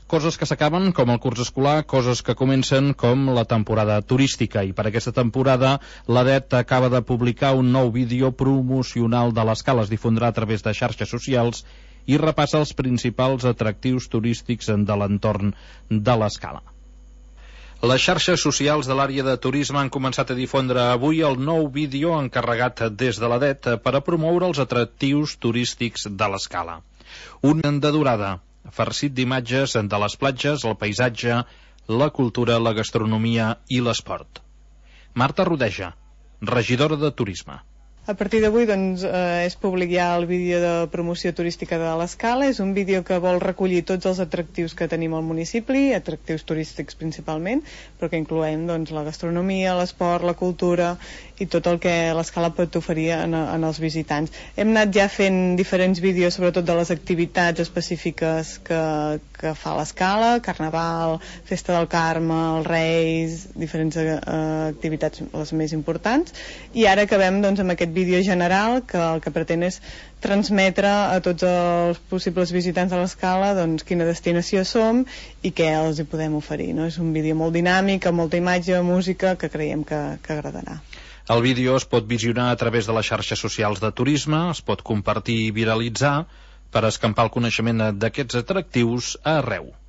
Coses que s'acaben, com el curs escolar, coses que comencen, com la temporada turística. I per aquesta temporada, l'ADET acaba de publicar un nou vídeo promocional de l'Escala. Es difondrà a través de xarxes socials i repassa els principals atractius turístics de l'entorn de l'Escala. Les xarxes socials de l'àrea de turisme han començat a difondre avui el nou vídeo encarregat des de l'ADET per a promoure els atractius turístics de l'Escala. Un de durada, farcit d'imatges de les platges, el paisatge, la cultura, la gastronomia i l'esport. Marta Rodeja, regidora de Turisme. A partir d'avui és públic ja el vídeo de promoció turística de l'Escala. És un vídeo que vol recollir tots els atractius que tenim al municipi, atractius turístics principalment, però que incloem la gastronomia, l'esport, la cultura i tot el que l'Escala pot oferir en els visitants. Hem anat ja fent diferents vídeos, sobretot de les activitats específiques que fa l'Escala, Carnaval, Festa del Carme, els Reis, diferents activitats les més importants, i ara acabem amb aquest vídeo general que el que pretén és transmetre a tots els possibles visitants de l'Escala quina destinació som i què els hi podem oferir, no? És un vídeo molt dinàmic, amb molta imatge, música, que creiem que agradarà. El vídeo es pot visionar a través de les xarxes socials de turisme, es pot compartir i viralitzar per escampar el coneixement d'aquests atractius arreu.